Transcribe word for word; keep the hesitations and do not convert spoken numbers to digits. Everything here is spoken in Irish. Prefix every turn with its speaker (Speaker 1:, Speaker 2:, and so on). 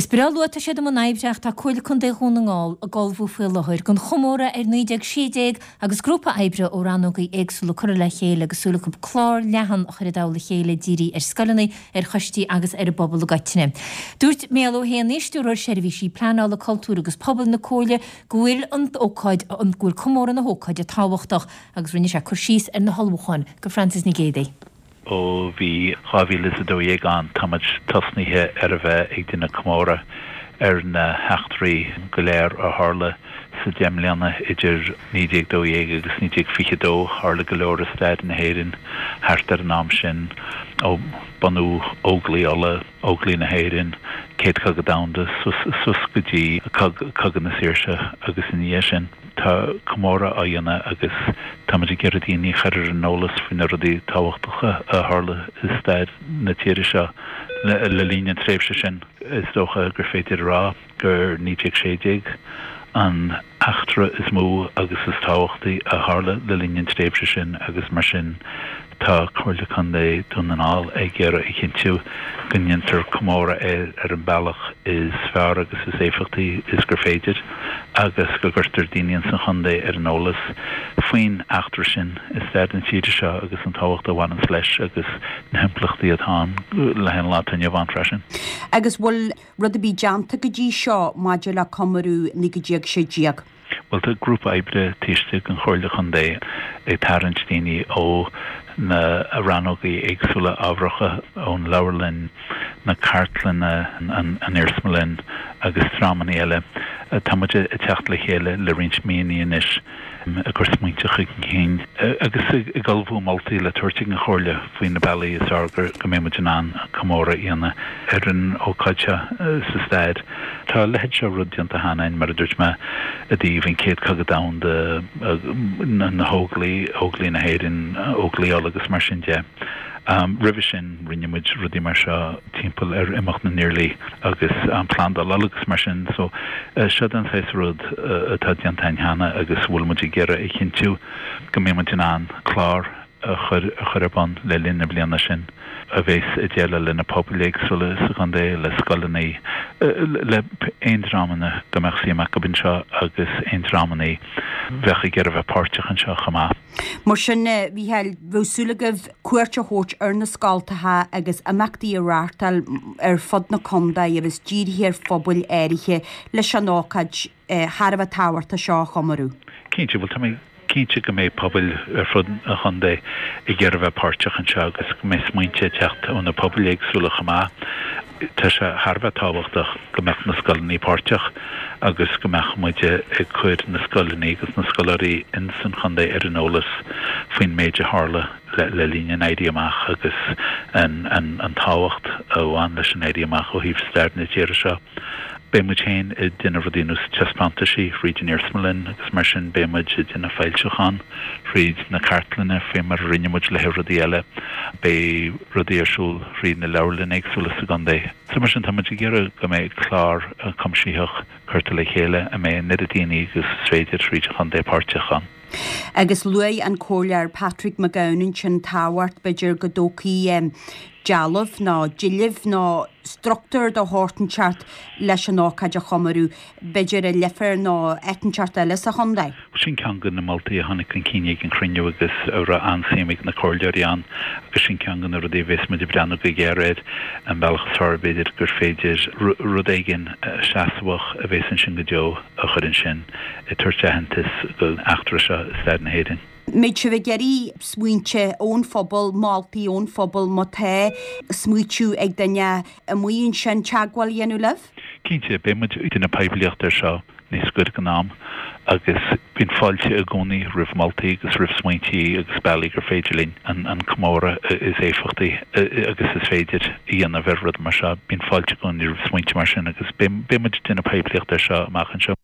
Speaker 1: Is breá luath tá siad i mbun oibre ach tá Comhairle Contae Dhún na nGall ag ullmhú faoi láthair don chomóradh ar naoi déag sé déag agus grúpa oibre ó rannógaí éagsúla curtha le chéile agus súil acu clár leathan a chur i dtoll a chéile dírithe ar scoileanna, ar choistí agus ar an bpobal i gcoitinne. Dúirt Mícheál Ó hÉanaí, Stiúrthóir Seirbhísí Pleanála Cultúir agus Pobail na Comhairle go bhfuil an ócáid an go bhfuil comóradh na hócáide tábhachtach agus rinne sé cur síos ar na hullmhúcháin do Francis Nic Géadaigh.
Speaker 2: Ó bhí dhá mhíle is a dó dhéag ann, tá muid tosnaithe ar a bheith ag déanamh comóradh ar na heachtraí go léir a tharla sa deich mbliana idir naoi déag dó dhéag agus naoi déag fiche dó. Tharla go leor i stair na hÉireann thart ar an am sin, ó bunú Óglaigh Uladh, Óglaigh na hÉireann, Céad Cogadh Domhanda, suas go dtí Cogadh na Saoirse agus ina dhiaidh sin. Tá comóradh á dhéanamh agus táimid ag iarraidh daoine a chur ar an eolas faoi na rudaí tábhachtacha a tharla i stair na tíre seo le linn na tréimhse sin. Is dócha gur féidir a rá gur naoi déag sé déag an eachtra is mó agus is tábhachtaí a tharla le linn an tréimhse sin agus mar sin tá Comhairle Contae Dhún na nGall ag iarraidh a chinntiú go ndéantar comóradh air ar an bealach is fearr agus is éifeachtaí is gur féidir agus go gcuirtear daoine ins an chontae ar an eolas faoin eachtra sin i stair na tíre seo agus an tábhacht a bhaineanns leis agus na himpleachtaí atá ann le haghaidh an lá atá inniu ann freisin.
Speaker 3: Agus bhfuil rud ar bith déanta go dtí seo maidir le comóradh naoi déag sé déag?
Speaker 2: Bhuel, tá grúpa oibre taobh istigh den Chomhairle Chontae ag tarraingt daoine ó na rannógaí éagsúla ábharacha, ón leabharlann, na cartlanna, an iarsmalann agus dreamanna eile. Tá muid ag teacht le chéile le roinnt míonna anois ag cur smaointe chun cinn agus ag ullmhú moltaí le tabhairt ag an Chomhairle faoi na bealaí is fearr go mbeidh muid in ann comóradh a dhéanamh ar an ócáid seo sa stair. Tá a leithéid seo rud déanta cheana againn, mar a dúirt mé, i dtaobh an Chéad Chogadh Domhanda, na hÓglaigh, Óglaigh na hÉireann, Óglaigh Uladh agus mar sin de. Roimhe sin rinne muid rudaí mar seo timpeall ar imeacht na nIarlaí agus an Plandáil Uladh agus mar sin. So seo den saghas rud atá déanta againn cheana agus bhfuil muid ag iarraidh a chinntiú go mbeidh muid in ann clár a chur a chur ar bun le linn na bliana sin a bheas ag déileáil le na pobail éagsúla sa chontae, le scoileanna, le aon dreamanna go mbeadh suim acu anseo agus aon dreamanna bheadh ag iarraidh bheith páirteach anseo chomh maith.
Speaker 3: Mar sin, a Mhícheáil, bheadh súil agaibh cuairt a thabhairt ar na scoltacha agus imeachtaí a reáchtáil ar fud na contae agus dírithe ar phobail áirithe leis an ócáid thar a bheith tábhachtach seo a chomóradh.
Speaker 2: Cinnte, bhuel tá mé cinnte go mbeidh pobail ar fud an chontae ag iarraidh bheith páirteach anseo agus go mbeidh smaointe ag teacht ó na pobail éagsúla chomh maith. Tá sé thar a bheith tábhachtach go mbeadh na scoileanna páirteach agus go mbeadh muid ag cur na scoileanna agus na scoláirí ins an chontae ar an eolas faoin méid a tharla le linn an Éirí Amach agus an an tábhacht a bhain leis an Éirí Amach ó thaobh stair na tíre seo. Beidh muid féin ag déanamh rudaí ar nós taispeántaisí thríd an iarsmalann agus mar sin beidh muid ag déanamh foilseachán thríd na cartlanna faoi mar a rinne muid le haghaidh rudaí eile. Beidh rudaí ar siúl thríd na leabharlanna éagsúla sa gcontae. So mar sin tá muid ag iarraidh go mbeidh clár cuimsitheach curtha le chéile a mbeidh an oiread daoine agus is féidir thríd an chontae páirteach ann.
Speaker 3: Agus luaigh an Comhairleoir Patrick Mac Gabhann ansin tábhacht b'fhéidir go dtógfaí dealbh nó deilbh nó struchtúr de shórt inteacht leis an ócáid a chomóradh, b'fhéidir i Leifear nó áit inteacht eile sa chontae.
Speaker 2: Sin ceann de na moltaí a tháinig chun cinn ag an chruinniú agus a raibh an-suim ag na comhairleoirí ann agus sin ceann de na rudaí a bheas muid ag breathnú go géar air, an bealach is fearr b'fhéidir gur féidir rud éigin seasmhach a bheas ansin go deo a chur ansin ag tabhairt aitheantas don eachtra seo i stair na hÉireann.
Speaker 3: Mbeidh sibh ag iarraidh smaointe ón phobal, moltaí ón phobal, má tá smaoitiú ag duine amuigh ansin teagmháil a dhéanamh libh?
Speaker 2: Cinnte, beidh muid ag déanamh poiblíocht air seo níos gaire don am agus bíonn fáilte i gcónaí roimh mholtaí agus roimh smaointí agus bealaí gur féidir linn an comóradh is éifeachtaí agus is féidir a dhéanamh ar rud mar seo. Bíonn fáilte i gcónaí roimh smaointe mar sin agus beidh muid ag déanamh poiblíocht air seo amach anseo.